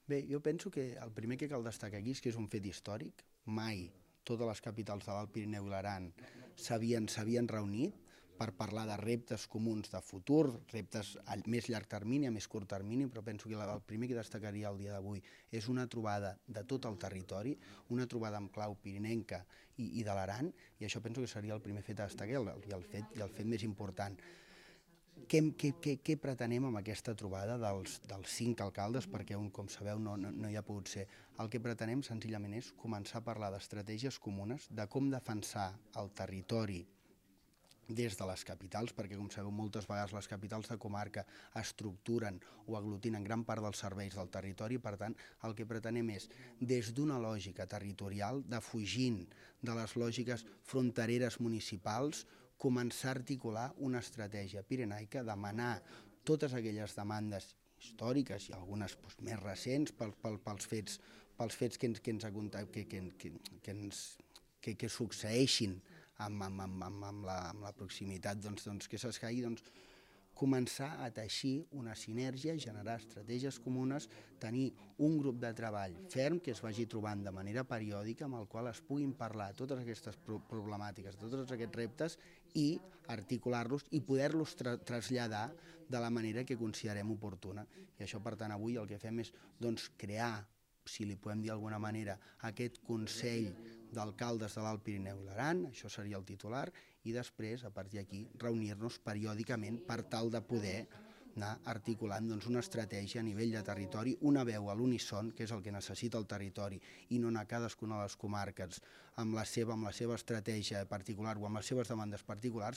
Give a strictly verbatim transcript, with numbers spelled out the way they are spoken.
Bé, jo penso que el primer que cal destacar aquí és que és un fet històric. Mai totes les capitals de l'Alt Pirineu i l'Aran s'havien s'havien reunit per parlar de reptes comuns de futur, reptes a més llarg termini, a més curt termini, però penso que el primer que destacaria el dia d'avui és una trobada de tot el territori, una trobada amb clau pirinenca i, i de l'Aran, i això penso que seria el primer fet a destacar i el fet, i el fet més important. Què, què, què, què pretenem amb aquesta trobada dels, dels cinc alcaldes, perquè un, com sabeu, no, no, no hi ha pogut ser? El que pretenem senzillament és començar a parlar d'estratègies comunes, de com defensar el territori des de les capitals, perquè com sabeu moltes vegades les capitals de comarca estructuren o aglutinen gran part dels serveis del territori, per tant el que pretenem és des d'una lògica territorial, defugint de les lògiques frontereres municipals, començar a articular una estratègia pirenaica, demanar totes aquelles demandes històriques i algunes doncs, més recents pels, pels, pels fets, pels fets que ens, que ens, que, que, que, que ens que, que succeeixin amb, amb, amb, amb, amb, la, amb la proximitat doncs, doncs, que s'escaigui, doncs, començar a teixir una sinergia, generar estratègies comunes, tenir un grup de treball ferm que es vagi trobant de manera periòdica amb el qual es puguin parlar totes aquestes problemàtiques, tots aquests reptes i articular-los i poder-los tra traslladar de la manera que considerem oportuna. I això, per tant, avui el que fem és doncs, crear, si li podem dir d'alguna manera, aquest Consell d'Alcaldes de l'Alt Pirineu i l'Aran, això seria el titular, i després, a partir d'aquí, reunir-nos periòdicament per tal de poder anar articulant doncs, una estratègia a nivell de territori, una veu a l'unisson, que és el que necessita el territori, i no anar a cadascuna de les comarques amb la seva, amb la seva estratègia particular o amb les seves demandes particulars,